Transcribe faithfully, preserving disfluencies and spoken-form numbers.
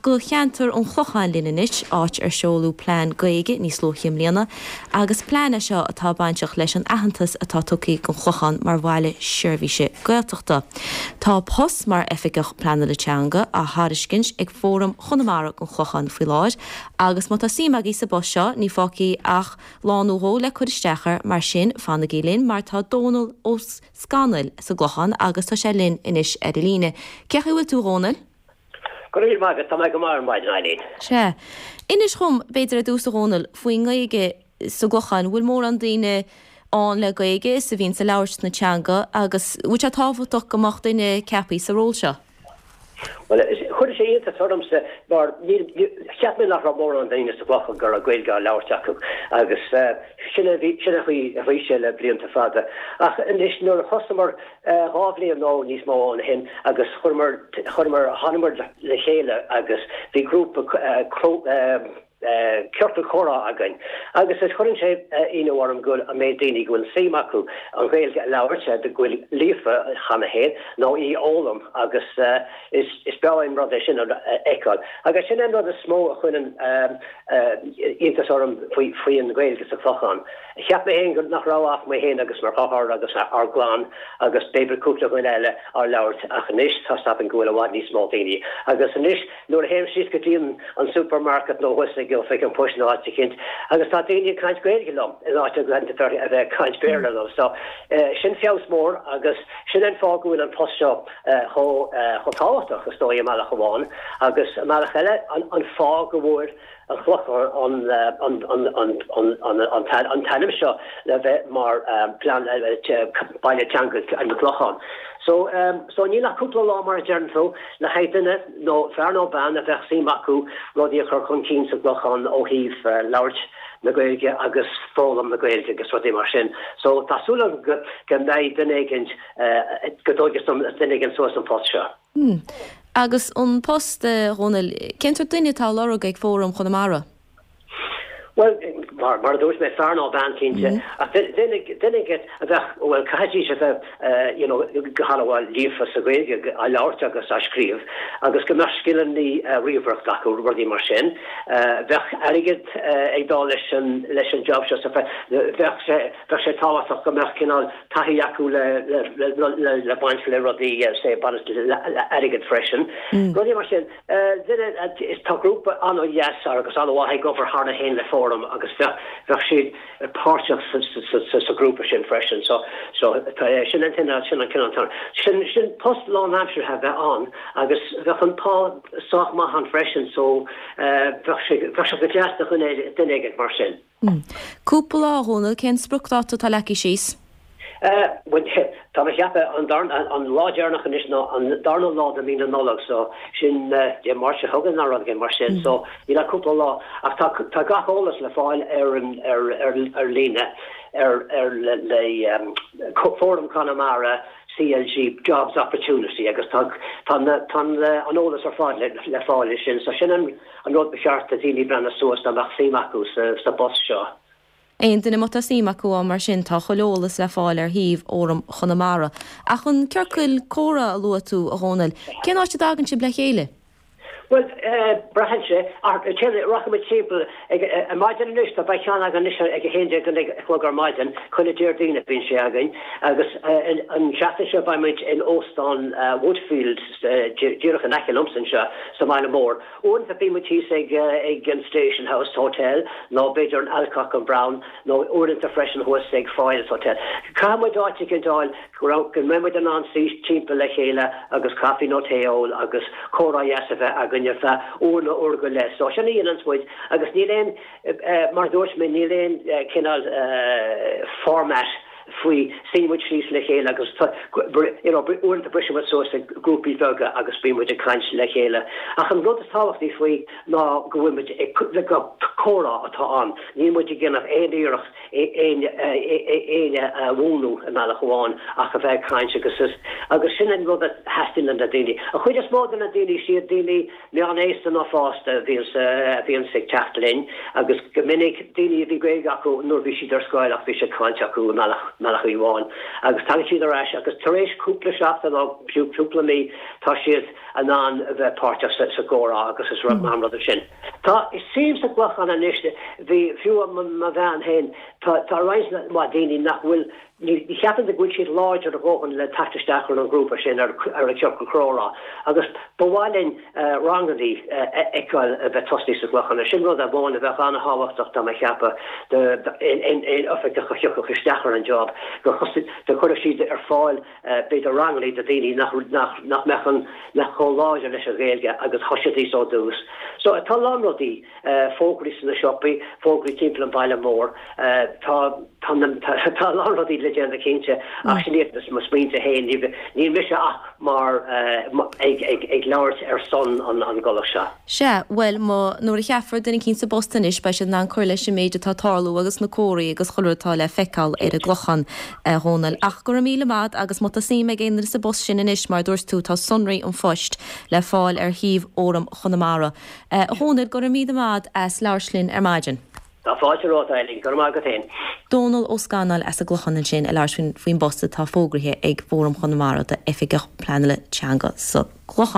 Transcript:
go cheantar an Chlocháin linn anois áit ar seoladh plean Gaeilge níos luaithe i mbliana, agus plean é seo atá bainteach leis an aitheantas atá tugtha don Chlochán mar bhaile seirbhíse Gaeltachta. Tá post mar oifigeach pleanála teanga á thairiscint ag Fóram Chonamara don Chlochán faoi láthair, agus má tá suim agaibh sa bpost seo ní fágtha ach lá nó dhó le cur isteach air mar sin fanaigí linn mar tá Dónal Ó Scanaill sa gClochán agus tá sé linn anois ar an líne. Cén chaoi a bhfuil tú a Dhónaill? Go raibh maith agat tá mé go maith ar maidin Eileen. Sea. Inis dhom b'fhéidir ar dtús a Dhónaill faoin nGaeilge sa gClochán, bhfuil mórán daoine ann le Gaeilge is a bhíonn ag labhairt na teanga agus bhfuil sé tábhachtach go mbeadh duine ceaptha sa ról seo? Well chuir sé iontas ormsa mar cheap mé nach raibh mórán daoine sa gClochán go raibh Gaeilge á labhairt acu agus sin a bhí sin a bhí a bhí sé le blianta fada. Ach anois nuair a thosaíomar dhá bhliain nó níos mó ó shin agus chuireamar chuireamar thánamar le chéile agus bhí grúpa ciorcal comhrá againn. Agus is chuireann sé ionadh orm go an méid daoine go bhfuil suim acu an Ghaeilge a labhairt go bhfuil líofa cheana féin nó í a fhoghlaim agus is is breá an rud é sin a fheiceáil. Agus sin an rud is mó a chuireann iontas orm faoi faoi an Ghaeilge sa Chlochán. Cheap mé féin nach raibh ach mé féin agus mo dheartháir agus ár gclann agus b'fhéidir cúpla dhuine eile á labhairt ach anois tá sapan go bhfuil i bhfad níos mó daoine. Agus anois nuair a théim síos go dtí an supermarket nó thuas ag oifig an phoist nó áit eicínt agus tá daoine ag caint Gaeilge liom in áit a bheith ag caint Béarla liom. So sin feabhas mór agus sin an fáth go bhfuil an post seo chomh tábhachtach is dóigh i mbealach amháin agus i mbealach eile an fáth go bhfuair an Clochán an an t-ainm seo le bheith mar plean baile teanga an Clochán. So so níl ach cúpla lá mar a deireann tú le haghaidh duine nó fear nó bean a bheadh suim acu rudaí a chur chun cinn sa gClochán ó thaobh labhairt na Gaeilge agus foghlaim na Gaeilge agus rudaí mar sin. So tá súil go go mbeidh duine éigin go dtógfaidh duine éigin suas an post seo. Hmm. Agus an post Dhónaill, cén sórt duine atá á lorg ag Fóram Chonamara? Well mar mar a dúirt mé fear nó bean cinnte ach duine a bheith well caithfidh a bheith you know go han-mhaith líofa sa Ghaeilge á labhairt agus á scríobh agus go mbeadh scileanna ríomhaireachta acu rudaí mar sin. Bheadh airgead ag dul leis an leis an job seo bheadh sé bheadh sé tábhachtach go mbeadh cineál taithí acu le le le le baint le rudaí sé le airgead freisin. Rudaí mar sin duine is tá grúpa an-dheas agus an-mhaith ag obair cheana féin le fóram agus bheadh bheadh siad páirteach sa grúpa sin freisin so so sin an sin sin an cineál sin sin post lánaimseartha bheith ann agus bheadh an pá sách maith ann freisin so bheadh sé bheadh sé go deas do dhuine duine éigin mar sin. Cúpla lá a Dhónaill cén spriocdháta atá leagtha síos? Tá mé ag ceapadh an an lá deireanach anois ná an darna lá de mhí na Nollag so sin Dé Máirt seo chugainn nó rud mar sin so níl ach cúpla lá ach tá tá gach eolas le fáil ar an ar ar ar líne ar ar le le um, Fóram Conamara CLG Jobs Opportunity agus tá tá tá an eolas ar fáil le, le fáil sin so sin an an rud ba cheart do dhaoine breathnú suas dá mbeadh suim acu sa sa bpost seo. Aon duine má tá suim acu ann mar sin tá chuile eolas le fáil ar shuíomh Fhóram Chonamara. Ach an ciorcal comhrá a luaigh tú a Dhónaill, cén áit a dtagann sibh le chéile? Well braitheann sé rachaimid timpeall ar maidin anois tá beidh ceann againn anois ag a haon déag a chlog ar maidin chuile Déardaoin a bhíonn sé againn agus an seachtain seo beimid in óstán Woodfield díreach in aice liomsa anseo sa mbaile mór. Uaireanta bímid thíos ag ag an Station House Hotel nó b'fhéidir an Alcock and Brown nó uaireanta freisin thuas ag Foyles Hotel. Caithfimid áit éigin a fháil go mbeimid in ann suí timpeall le chéile agus caife nó tae a ól agus comhrá deas a bheith againn ar feadh uair nó uair go leith. So sin a dhéananns muid agus níl aon mar dúirt mé níl aon cineál format faoi suíonn muid síos le chéile agus you know uaireanta brisimid suas ag grúpaí beaga agus bímid ag caint le chéile. Ach an rud is tábhachtaí faoi ná go bhfuil ag comhrá atá ann. Níl muid ag déanamh aon iarracht éinne a mhúineadh i mbealach amháin ach a bheith ag caint agus is agus sin an rud a theastaíonn na daoine. An chuid is mó de na daoine siad daoine meánaosta nó fásta a bhíonn a bhíonn ag teacht linn agus go minic daoine a bhí Gaeilge acu nuair bhí siad ar scoil ach bhí sé caillte acu i mbealach mBealach Uí Bháin agus tagann siad ar ais agus tar éis cúpla seachtain nó fiú cúpla mí tá siad in ann a bheith páirteach sa gcomhrá agus is rud maith an rud é sin. Tá suim sa gClochán anois bhí fiú mo bhean féin tá tá roinnt mhaith daoine nach bhfuil ní cheapann go bhfuil siad láidir a dhóthain le teacht isteach ar an ghrúpa sin ar ar an chiorcal comhrá agus ba mhaith linn ranganna a fheiceáil a bheith tosaithe sa gClochán. Sin rud amháin a bheadh an-thábhachtach dá mba cheapfá aon oifigeach a thiocfadh isteach ar an job go go gcuirfeadh siad ar fáil b'fhéidir ranganna do dhaoine nach nach nach mbeadh an nach chomh láidir leis an Ghaeilge agus thosaídís ó dtús. So tá lán rudaí fógraí sna siopaí, fógraí timpeall an bhaile mór, tá tá tá lán rudaí le déanamh cinnte ach sin iad mo smaointe féin níl mise ach mar ag ag ag labhairt ar son an an gcomhlacht seo. Sea, bhuel má nuair a cheapfar duine eicínt sa bpost anois beidh siad in ann cur leis an méid atá ag tarlú agus na comharthaí agus chuile rud atá le feiceáil ar an gClochán a Dhónaill. Ach go raibh míle maith agus má tá suim ag aon duine sa bpost sin anois mar dúirt tú tá sonraí an phoist le fáil ar shuíomh Fhóram Chonamara. A Dhónaill go raibh míle maith as labhairt linn ar maidin. Tá fáilte romhat Eileen, go raibh maith agat féin. Dónal Ó Scanaill as an gClochán ansin ag labhairt faoin bpost atá fógraithe ag Fóram Chonamara d'Oifigeach Pleanála Teanga sa gClochán.